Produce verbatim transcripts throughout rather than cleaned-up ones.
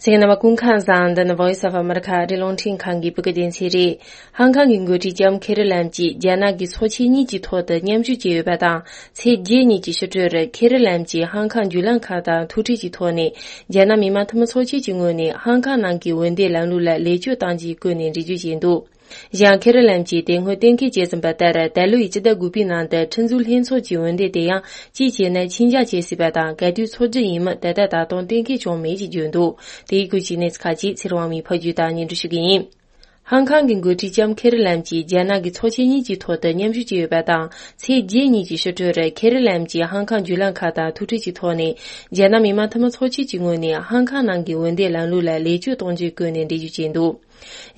གསན་མཁན་རྣམ་པ་སྐུ་ཁམས་བཟང་། འདི་ནི་Voice of America ཨ་རིའི་རླུང་འཕྲིན་ཁང་གི་བོད་སྐད་སྡེ་ཚན་རེད། ཧང་ཁང་གི་འགོ་ཁྲིད་ལྕམ་ཁེ་རི་ལམ་གྱིས་རྒྱ་ནག་གི་ཚོགས་ཆེན་གཉིས་ཀྱི་ཐོག་ཏུ་མཉམ་ཞུགས་བྱས་ཡོད་པ་དང་། ཚེས་བརྒྱད་ཉིན་གྱི་ཕྱི་དྲོར་ཁེ་རི་ལམ་གྱིས་ཧང་ཁང་བརྒྱུད་ལམ་ཁང་དང་ཐུག་འཕྲད་ཀྱི་ཐོག་ནས། རྒྱ་ནག་མི་དམངས་འཐུས་མི་ཚོགས་ཆེན་གྱི་ངོས་ནས་ཧང་ཁང་ནང་གི་འོས་འདེམས་ལམ་ལུགས་ལ་ལེགས་བཅོས་གཏང་རྒྱུའི་སྐོར་ནས་འགྲེལ་བརྗོད་བྱས་འདུག་ཡང་ཁེ་རི་ལམ་གྱིས་དེ་སྔོན་གཏན་འཁེལ་བྱས་ཟིན་པ་ལྟར། ད་ལོ་ཡི་སྤྱི་ཟླ་དགུ་པའི་ནང་དུ་ཁྲིམས་བཟོའི་ལྷན་ཚོགས་ཀྱི་འོས་འདེམས་དེ་ཡང་གཅིག་བྱས་ན་ཆིང་རྒྱག་བྱེད་སྲིད་པ་དང་། ག་དུས་འཚོགས་རྒྱུ་ཡིན་མིན་ད་ལྟ་ད་དུང་གཏན་འཁེལ་བྱུང་མེད་ཅེས་བརྗོད་འདུག་དེའི་སྐོར་གྱི་གནས་ཚུལ་ཁག་ཅིག་ཚེ་རིང་དབང་མོས་ཕབ་སྒྱུར་དང་སྙན་སྒྲོན་ཞུ་གི་ཡིན། ཧང་ཁང་གི་འགོ་ཁྲིད་ལྕམ་ཁེ་རི་ལམ་གྱིས་རྒྱ་ནག་གི་ཚོགས་ཆེན་གཉིས་ཀྱི་ཐོག་ཏུ་མཉམ་ཞུགས་བྱས་ཡོད་པ་དང་། ཚེས་བརྒྱད་ཉིན་གྱི་ཕྱི་དྲོར་ཁེ་རི་ལམ་གྱིས་ཧང་ཁང་བརྒྱུད་ལམ་ཁང་དང་ཐུག་འཕྲད་ཀྱི་ཐོག་ནས། རྒྱ་ནག་མི་དམངས་འཐུས་མི་ཚོགས་ཆེན་གྱི་ངོས་ནས་ཧང་ཁང་ནང་གི་འོས་འདེམས་ལམ་ལུགས་ལ་ལེགས་བཅོས་གཏོང་རྒྱུའི་སྐོར་ནས་འགྲེལ་བརྗོད་བྱས་འདུག་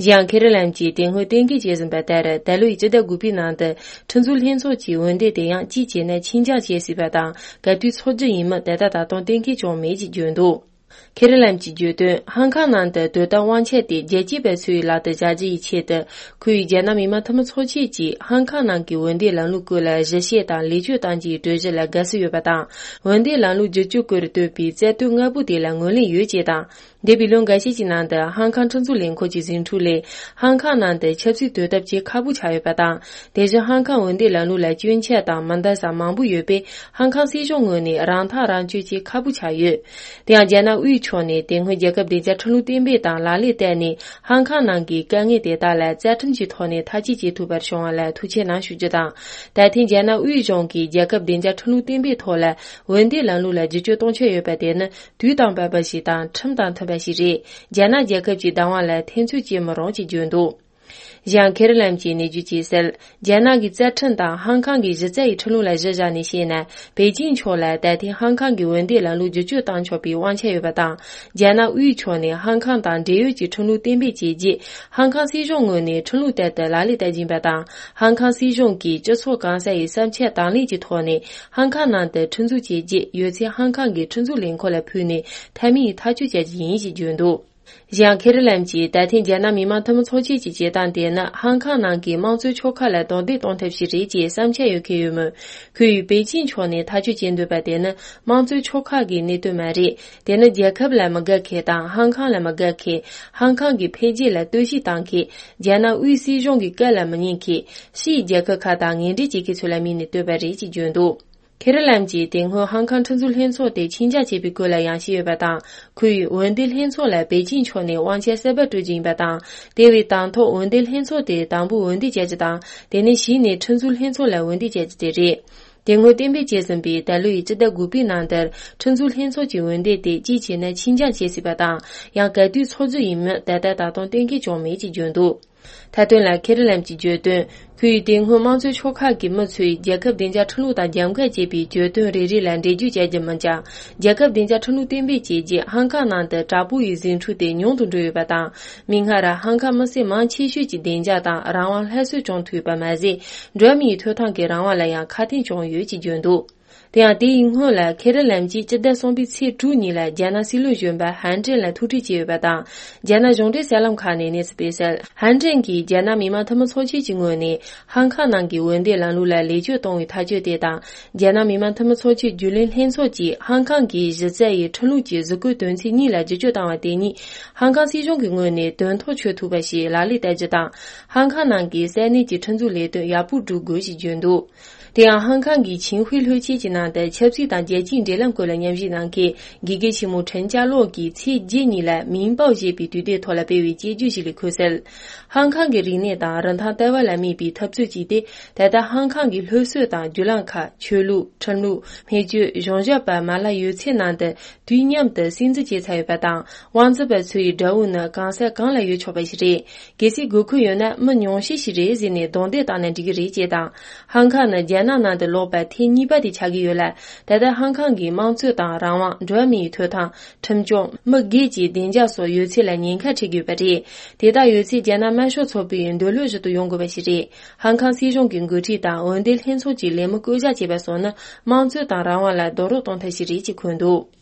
གཞན་ཁེ་རི་ལམ་གྱིས་དེ་སྔོན་གཏན་འཁེལ་བྱས་ཟིན་པ་ལྟར། ད་ལོའི་སྤྱི་ཟླ་དགུ་པའི་ནང་དུ་ཁྲིམས་བཟོའི་ལྷན་ཚོགས་ཀྱི་འོས་འདེམས་དེ་ཡང་གཅིག་བྱས་ན་ཆིང་རྒྱག་བྱེད་སྲིད་པ་དང་། ག་དུས་འཚོགས་རྒྱུ་ཡིན་མིན་ད་ལྟ་ད་དུང་གཏན་འཁེལ་བྱུང་མེད་ཅེས་བརྗོད་འདུག་ཁེ་རི་ལམ་གྱིས་བརྗོད་དོན། ཧང་ཁང་ནང་དུ་དོ་དམ་དབང་ཆ་དེ་རྒྱལ་གཅེས་པ་ཚོའི་ལག་ཏུ་བཞག་རྒྱུ་ཡི་ཆེད་དུ། ཁོ་ཡིས་རྒྱ་ནག་མི་དམངས་འཐུས་མི་ཚོགས་ཆེན་གྱིས་ཧང་ཁང་ནང་གི་འོས་འདེམས་ལམ་ལུགས་སྐོར་ལ་གཞི་བཤད་དང་ལེགས་བཅོས་གཏང་རྒྱུའི་གྲོས་གཞི་ལ་དགའ་བསུ་ཡོད་པ་དང་། འོས་འདེམས་ལམ་ལུགས་བསྒྱུར་བཅོས་སྐོར་བཏོན་པའི་རྩ་དོན་ལྔ་པོ་དེ་ལ་ངོས་ལེན་ཡོད་ཅེས་དང་། འདས་པའི་ལོ་འགའ་ཤས་ཀྱི་ནང་དུ་ཧང་ཁང་ཁྲིམས་བཟོ་ལས་ཁུངས་ཀྱི་ཟིང་འཁྲུག་ལས། ཧང་ཁང་ནང་དུ་ཆབ་སྲིད་དོ་དམ་བྱེད་ཁག་པོ་ཆགས་ཡོད་པ་དང་། དེ་བཞིན་ཧང་ཁང་འོས་འདེམས་ལམ་ལུགས་ལ་སྐྱོན་ཆ་དང་མི་འདང་ས་མང་པོ་ཡོད་པས། ཧང་ཁང་སྲིད་གཞུང་ངོས་ནས་རང་ཐག་རང་གཅོད་བྱེད་ཁག་པོ་ཆགས་ཡོད། དེ་ཡང་རྒྱ་ནག་དབུས་ཕྱོགས་ནས་དེ་སྔོན་རྒྱལ་ཁབ་བདེ་འཇགས་ཁྲིམས་ལུགས་གཏན་འབེབས་དང་ལག་ལེན་བསྟར་ནས། ཧང་ཁང་ནང་གི་དཀའ་ངལ་དེ་དག་ལ་རྩ་ཁྲིམས་ཀྱི་ཐོག་ནས་ཐག་གཅོད་བྱེད་ཐུབ་པར་བྱུང་བ་ལ་ཐུགས་ཆེ་གནང་ཞུ་རྒྱུ་དང་། ད་ཐེངས་རྒྱ་ནག་དབུས་གཞུང་གིས་རྒྱལ་ཁབ་བདེ་འཇགས་ཁྲིམས་ལུགས་གཏན་འབེབས་ཐོག་ལ་འོས་འདེམས་ལམ་ལུགས་ལ་བསྒྱུར་བཅོས་གཏོང་འཆར་ཡོད་པ་དེ་ནི་དུས་དང་བབ་པ་ཞིག་དང་ཁྲིམས་དང་མཐུན་པ་ཞིག་རེད། རྒྱ་ནག་རྒྱལ་ཁབ་ཀྱི་བདག་དབང་ལ་ཐེ་ཚོམ་བྱེད་མི་རུང་ཅེས་བརྗོད་འདུག་གཞན་ཁེ་རི་ལམ་གྱིས་ནས་བརྗོད་ཀྱིས་གསལ། རྒྱ་ནག་གི་རྩ་ཁྲིམས་དང་ཧང་ཁང་གི་གཞི་རྩ་ཡི་ཁྲིམས་ལུགས་ལ་གཞི་བཞག་ནས་བཤད་ན། པེ་ཅིང་ཕྱོགས་ལ་ད་ཐེངས་ཧང་ཁང་གི་འོས་འདེམས་ལམ་ལུགས་བསྒྱུར་བཅོས་གཏང་ཆོག་པའི་དབང་ཆ་ཡོད་པ་དང་། རྒྱ་ནག་དབུས་ཕྱོགས་ནས་ཧང་ཁང་དང་འབྲེལ་ཡོད་ཀྱི་ཁྲིམས་ལུགས་གཏན་འབེབས་བྱས་རྗེས། ཧང་ཁང་སྲིད་གཞུང་ངོས་ནས་ཁྲིམས་ལུགས་ལྟར་དུ་ལག་ལེན་བསྟར་བཞིན་པ་དང་། ཧང་ཁང་སྲིད་གཞུང་གིས་སྤྱི་ཚོགས་གང་ས་ཡི་བསམ་འཆར་དང་ལེན་གྱི་ཐོག་ནས། ཧང་ཁང་ནང་དུ་ཁྲིམས་འཛུགས་བྱས་རྗེས་ཡོད་ཚད་ཧང་ཁང་གི་ཁྲིམས་འཛུགས་ལས་ཁུངས་ལ་ཕུལ་ནས། མཐའ་མའི་ཐག་གཅོད་བྱ་རྒྱུ་ཡིན་ཞེས་བརྗོད་འདུག་གཞན་ཁེ་རི་ལམ་གྱིས་ད་ཐེངས་རྒྱ་ནག་མི་དམངས་འཐུས་མི་ཚོགས་ཆེན་གྱི་བྱེད་སྟངས་དེ་ནི། ཧང་ཁང་ནང་གི་དམངས་གཙོའི་ཕྱོགས་ཁག་ལ་རྡུང་རྡེག་གཏོང་ཐབས་ཤིག་རེད་ཅེས་བསམ་འཆར་ཡོད་མཁན་ཡོད་མོད། ཁོས་པེ་ཅིང་ཕྱོགས་ནས་ཐག་གཅོད་བྱེད་འདོད་པ་དེ་ནི་དམངས་གཙོའི་ཕྱོགས་ཁག་གི་གནད་དོན་མ་རེད། དེ་ནི་རྒྱལ་ཁབ་ལ་མི་དགའ་མཁན་དང་། ཧང་ཁང་ལ་མི་དགའ་མཁན། ཧང་ཁང་གི་འཕེལ་རྒྱས་ལ་བསྟོད་བཤིག་བཏང་མཁན། རྒྱ་ནག་དབུས་སྲིད་གཞུང་གི་བཀའ་ལ་མི་ཉན་མཁན། ཕྱིའི་རྒྱལ་ཁབ་ཁག་དང་ངན་འབྲེལ་བྱེད་མཁན་ཚོ་ལ་དམིགས་ནས་བཏོན་པ་རེད་ཅེས་བརྗོད་འདུག་ཁེ་རི་ལམ་གྱིས་དེ་སྔོན་ཧང་ཁང་ཁྲིམས་བཟོའི་ལྷན་ཚོགས་དེ་ཆིང་རྒྱག་བྱས་པའི་སྐོར་ལ་ཡང་བཤད་ཡོད་པ་དང་། ཁོས་འོས་འདེམས་ལྷན་ཚོགས་ལ་པེ་ཅིང་ཕྱོགས་ནས་དབང་ཆ་གསར་པ་སྤྲོད་རྒྱུ་ཡིན་པ་དང་། དེ་བས་དང་ཐོག་འོས་འདེམས་ལྷན་ཚོགས་དེ་དང་པོ་འོས་འདེམས་བྱ་རྒྱུ་དང་། དེ་ནས་གཞི་ནས་ཁྲིམས་བཟོའི་ལྷན་ཚོགས་ལ་འོས་འདེམས་བྱ་རྒྱུ་དེ་རེད། དེ་སྔོན་གཏན་འབེབས་བྱས་ཟིན་པའི་ད་ལོའི་སྤྱི་ཟླ་དགུ་པའི་ནང་དུ་ཁྲིམས་བཟོའི་ལྷན་ཚོགས་ཀྱི་འོས་འདེམས་དེ་གཅིག་བྱས་ན་ཆིང་རྒྱག་བྱེད་སྲིད་པ་དང་། ཡང་ག་དུས་འཚོགས་རྒྱུ་ཡིན་མིན་ད་ལྟ་ད་དུང་གཏན་འཁེལ་བྱུང་མེད་ཅེས་བརྗོད་འདུག་མཐའ་དོན་ལ་ཁེ་རི་ལམ་གྱིས་བརྗོད་དོན། ཁོས་དེ་སྔོན་དམངས་གཙོའི་ཕྱོགས་ཁག་གི་མི་ཚོས་རྒྱལ་ཁབ་བདེ་འཇགས་ཁྲིམས་ལུགས་དང་རྒྱབ་འགལ་བྱེད་པའི་བརྗོད་དོན་རེ་རེ་ལ་འགྲེལ་བརྗོད་བྱ་རྒྱུ་མིན་ཀྱང་། རྒྱལ་ཁབ་བདེ་འཇགས་ཁྲིམས་ལུགས་གཏན་འབེབས་བྱས་རྗེས་ཧང་ཁང་ནང་དུ་དྲག་པོ་ཡི་ཟིང་འཁྲུག་དེ་ཉུང་དུ་འགྲོ་ཡོད་པ་དང་། མིག་སྔར་ཧང་ཁང་མི་སེར་མང་ཆེ་ཤོས་ཀྱི་བདེ་འཇགས་དང་རང་དབང་སླར་གསོ་བྱུང་ཐུབ་པ་མ་ཟད། འགྲོ་བ་མིའི་ཐོབ་ཐང་གི་རང་དབང་ལ་ཡང་ཁ་གཏད་བྱུང་ཡོད་ཅེས་བརྗོད་འདུག་དེ་ཡང་དེ་ཡི་སྔོན་ལ་ཁེ་རི་ལམ་གྱིས་སྤྱི་ཟླ་གསུམ་པའི་ཚེས་དྲུག་ཉིན་ལ་རྒྱ་ནག་སྲིད་བློན་གཞོན་པ་ཧན་ཀྲེན་ལ་ཐུག་འཕྲད་བྱས་ཡོད་པ་དང་། རྒྱ་ནག་གཞུང་འབྲེལ་གསར་ལམ་ཁག་ནས་གནས་ཚུལ་སྤེལ་གསལ། ཧན་ཀྲེན་གྱིས་རྒྱ་ནག་མི་དམངས་འཐུས་མི་ཚོགས་ཆེན་གྱི་ངོས་ནས་ཧང་ཁང་ནང་གི་འོས་འདེམས་ལམ་ལུགས་ལ་ལེགས་བཅོས་གཏོང་བའི་ཐག་གཅོད་དེ་དང་། རྒྱ་ནག་མི་དམངས་འཐུས་མི་ཚོགས་ཆེན་རྒྱུན་ལས་ལྷན་ཚོགས་ཀྱིས་ཧང་ཁང་གི་གཞི་རྩ་ཡི་ཁྲིམས་ལུགས་ཀྱི་གཟུགས་བཀོད་དོན་ཚན་གཉིས་ལ་བསྒྱུར་བཅོས་བཏང་བ་དེ་ཉིད་ཧང་ཁང་སྲིད་གཞུང་གི་ངོས་ནས་དོན་ཐོག་ཆོད་ཐུབ་པ་ཞིག་ལག་ལེན་བསྟར་རྒྱུ་དང་། ཧང་ཁང་ནང་གི་ས་གནས་ཀྱི་ཁྲིམས་འཛུགས་ལས་དོན་ཡག་པོ་སྒྲུབ་དགོས་ཞེས་བརྗོད་འདུག་དེ་ཡང་ཧང་ཁང་གི་ཆིང་ཧུའེ་ལྷོད་ཆེན་གྱི་ནང་དུ་ཆབ་སྲིད་དང་རྒྱལ་སྤྱིའི་འབྲེལ་ལམ་སྐོར་ལ་ཉམས་ཞིབ་གནང་མཁན་དགེ་རྒན་ཆེན་མོ་ཁྲེན་ཅཱ་ལོག་གིས་ཚེས་བརྒྱད་ཉིན་ལ་མིང་པའོ་ཞེས་པའི་དུས་དེབ་ཐོག་ལ་སྤེལ་བའི་དཔྱད་བརྗོད་ཞིག་ལས་འཁོད་གསལ། ཧང་ཁང་གི་རིག་གནས་དང་རིན་ཐང་ལྟ་བ་ལ་དམིགས་པའི་འཐབ་རྩོད་ཅིག་སྟེ། ད་ལྟ་ཧང་ཁང་གི་སློབ་གསོ་དང་བརྒྱུད་ལམ་ཁག་ཆོས་ལུགས། ཁྲིམས་ལུགས། སྨན་བཅོས། གཞུང་ཞབས་པ་མ་ལག་ཡོད་ཚད་ནང་དུ། དུས་མཉམ་དུ་སྲིད་འཛིན་བྱས་ཚར་ཡོད་པ་དང་། དབང་འཛིན་པ་ཚོ་ཡི་དགྲ་བོ་ནི་གང་ས་གང་ལ་ཡོད་ཆོག་པ་ཞིག་རེད། གལ་སྲིད་དགོས་མཁོ་ཡོད་ན་མི་ཉུང་ཤས་ཤིག་རེད་ཟེར་ནས་རྡུང་རྡེག་བཏང་ན་འགྲིག་གི་རེད་ཅེས་དང་། ཧང་ཁང་ནི་རྒྱ་ནག་ནང་དུ་ལོག་པ་ཐེངས་གཉིས་པ་དེ་ཆགས་ཀྱི་ཡོད་ལ། ད་ལྟ་ཧང་ཁང་གིས་དམངས་གཙོ་དང་རང་དབང་། འགྲོ་བ་མིའི་ཐོབ་ཐང་། ཁྲིམས་སྐྱོང་། མི་སྒེར་གྱི་བདེ་འཇགས་སོགས་ཡོད་ཚད་ལ་ཉེན་ཁ་འཕྲད་ཀྱི་ཡོད་པ་རེད། དེ་དག་ཡོད་ཚད་རྒྱ་ནག་དམར་ཤོག་ཚོགས་པའི་འདོད་བློ་བཞིན་དུ་ཡོང་དགོས་པ་ཞིག་རེད། ཧང་ཁང་སྲིད་གཞུང་གི་འགོ་ཁྲིད་དང་འོས་འདེམས་ལྷན་ཚོགས་ཀྱི་ལས་མི་བསྐོ་གཞག་བྱས་པ་སོགས་ནི་དམངས་གཙོ་དང་རང་དབང་ལ་རྡོག་རོལ་གཏོང་ཐབས་ཤིག་རེད་ཅེས་འཁོད་འདུག